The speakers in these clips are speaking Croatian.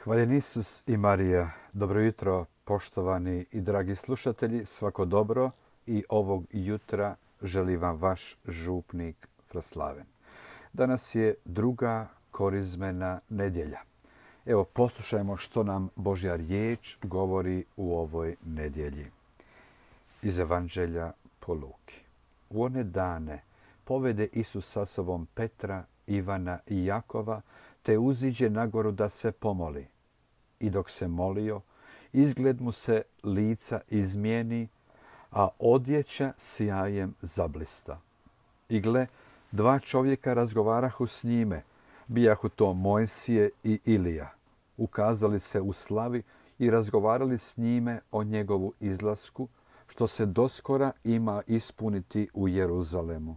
Hvaljen Isus i Marija. Dobro jutro, poštovani i dragi slušatelji. Svako dobro i ovog jutra želi vam vaš župnik Fraslaven. Danas je druga korizmena nedjelja. Evo, poslušajmo što nam Božja riječ govori u ovoj nedjelji. Iz Evanđelja po Luki. U one dane povede Isus sa sobom Petra, Ivana i Jakova, te uziđe na goru da se pomoli. I dok se molio, izgled mu se lica izmijeni, a odjeća sjajem zablista. I gle, dva čovjeka razgovarahu s njime, bijahu to Mojsije i Ilija. Ukazali se u slavi i razgovarali s njime o njegovu izlasku, što se doskora ima ispuniti u Jeruzalemu.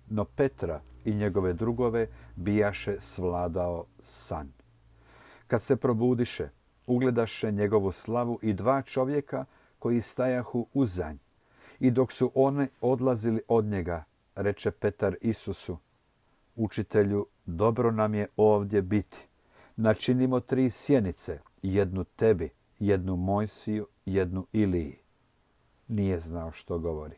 No Petra i njegove drugove bijaše svladao san. Kad se probudiše, ugledaše njegovu slavu i dva čovjeka koji stajahu uzanj. I dok su oni odlazili od njega, reče Petar Isusu: Učitelju, dobro nam je ovdje biti. Načinimo 3 sjenice, jednu tebi, jednu Mojsiju, jednu Iliji. Nije znao što govori.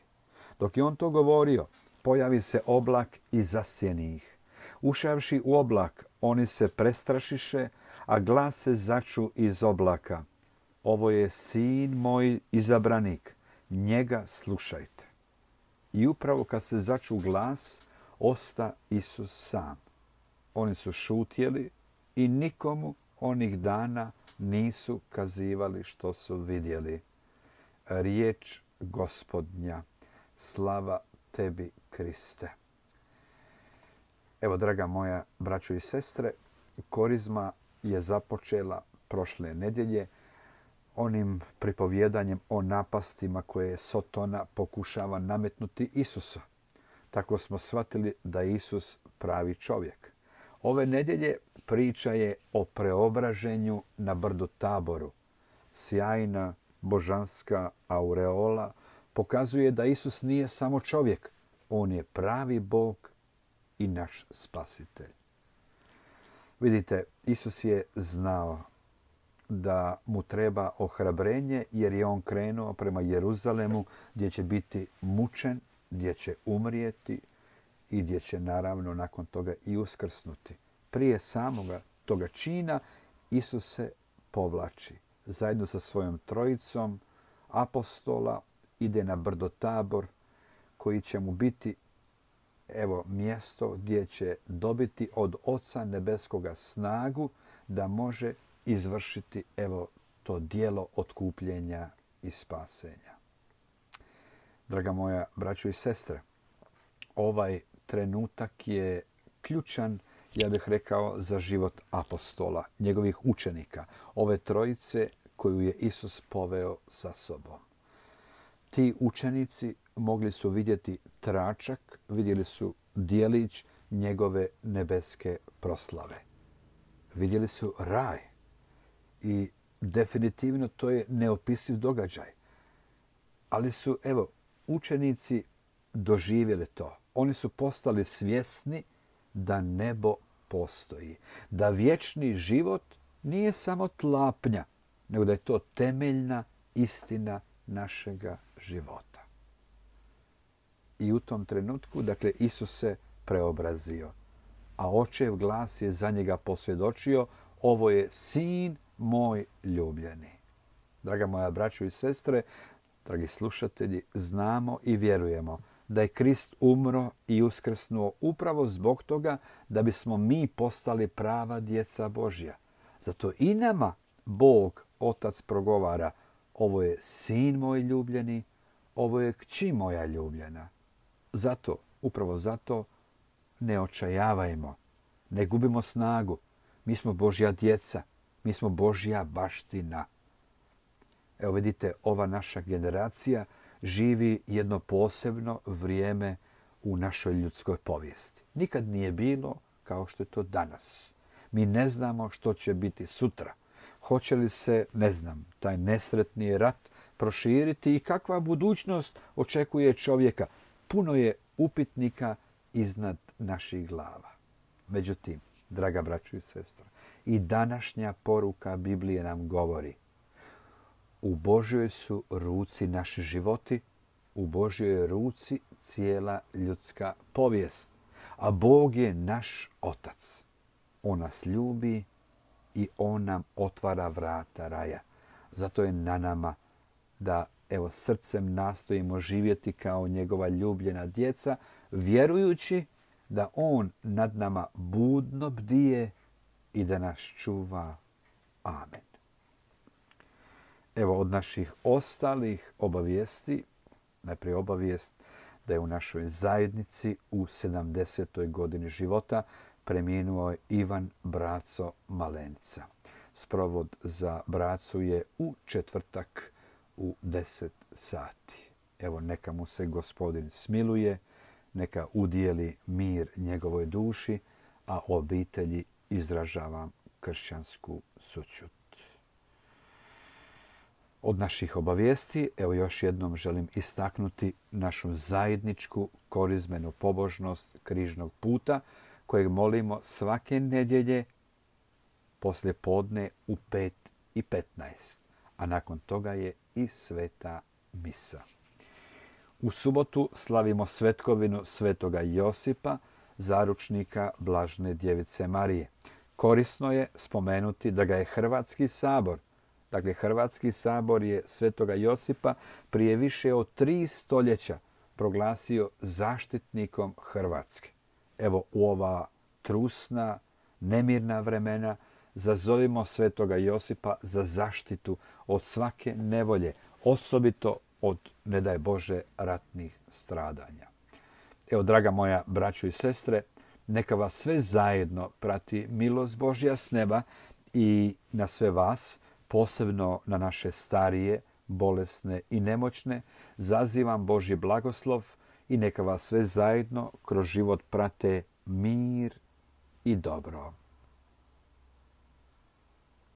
Dok je on to govorio, pojavi se oblak i zasjeni ih. Ušavši u oblak, oni se prestrašiše, a glas se začu iz oblaka: Ovo je sin moj izabranik, njega slušajte. I upravo kad se začu glas, osta Isus sam. Oni su šutjeli i nikomu onih dana nisu kazivali što su vidjeli. Riječ Gospodnja. Slava tebi, Kriste. Evo, draga moja braćo i sestre, korizma je započela prošle nedjelje onim pripovjedanjem o napastima koje Sotona pokušava nametnuti Isusa. Tako smo shvatili da je Isus pravi čovjek. Ove nedjelje priča je o preobraženju na brdu Taboru. Sjajna božanska aureola pokazuje da Isus nije samo čovjek, on je pravi Bog i naš spasitelj. Vidite, Isus je znao da mu treba ohrabrenje jer je on krenuo prema Jeruzalemu gdje će biti mučen, gdje će umrijeti i gdje će naravno nakon toga i uskrsnuti. Prije samoga toga čina Isus se povlači. Zajedno sa svojom trojicom apostola ide na brdo Tabor koji će mu biti mjesto gdje će dobiti od Oca Nebeskoga snagu da može izvršiti to djelo otkupljenja i spasenja. Draga moja braćo i sestre, ovaj trenutak je ključan, ja bih rekao, za život apostola, njegovih učenika, ove trojice koju je Isus poveo sa sobom. Ti učenici mogli su vidjeti tračak, vidjeli su djelić njegove nebeske proslave. Vidjeli su raj i definitivno to je neopisiv događaj. Ali su, učenici doživjeli to. Oni su postali svjesni da nebo postoji, da vječni život nije samo tlapnja, nego da je to temeljna istina našega života. I u tom trenutku, Isus se preobrazio, a Očev glas je za njega posvjedočio: Ovo je sin moj ljubljeni. Draga moja braćo i sestre, dragi slušatelji, znamo i vjerujemo da je Krist umro i uskrsnuo upravo zbog toga da bismo mi postali prava djeca Božja. Zato i nama Bog, Otac, progovara: Ovo je sin moj ljubljeni, ovo je kći moja ljubljena. Zato, upravo zato, ne očajavajmo, ne gubimo snagu. Mi smo Božja djeca, mi smo Božja baština. Evo vidite, ova naša generacija živi jedno posebno vrijeme u našoj ljudskoj povijesti. Nikad nije bilo kao što je to danas. Mi ne znamo što će biti sutra. Hoće li se, taj nesretni rat proširiti i kakva budućnost očekuje čovjeka? Puno je upitnika iznad naših glava. Međutim, draga braćo i sestra. I današnja poruka Biblije nam govori: u Božjoj su ruci naši životi, u Božjoj ruci cijela ljudska povijest. A Bog je naš Otac. On nas ljubi i On nam otvara vrata raja. Zato je na nama da srcem nastojimo živjeti kao njegova ljubljena djeca, vjerujući da On nad nama budno bdije i da nas čuva. Amen. Od naših ostalih obavijesti, najprije obavijest da je u našoj zajednici u 70. godini života preminuo Ivan Braco Malenica. Sprovod za Bracu je u četvrtak u 10 sati. Neka mu se Gospodin smiluje, neka udijeli mir njegovoj duši, a obitelji izražavam kršćansku sućut. Od naših obavijesti, još jednom želim istaknuti našu zajedničku korizmenu pobožnost križnog puta, kojeg molimo svake nedjelje poslije podne u 5:15, a nakon toga je i sveta misa. U subotu slavimo svetkovinu svetoga Josipa, zaručnika Blažene djevice Marije. Korisno je spomenuti da ga je Hrvatski sabor, Hrvatski sabor je svetoga Josipa prije više od 3 stoljeća proglasio zaštitnikom Hrvatske. U ova trusna, nemirna vremena zazovimo svetoga Josipa za zaštitu od svake nevolje, osobito od, ne daj Bože, ratnih stradanja. Draga moja braćo i sestre, neka vas sve zajedno prati milost Božja s neba i na sve vas, posebno na naše starije, bolesne i nemoćne, zazivam Božji blagoslov i neka vas sve zajedno kroz život prate mir i dobro.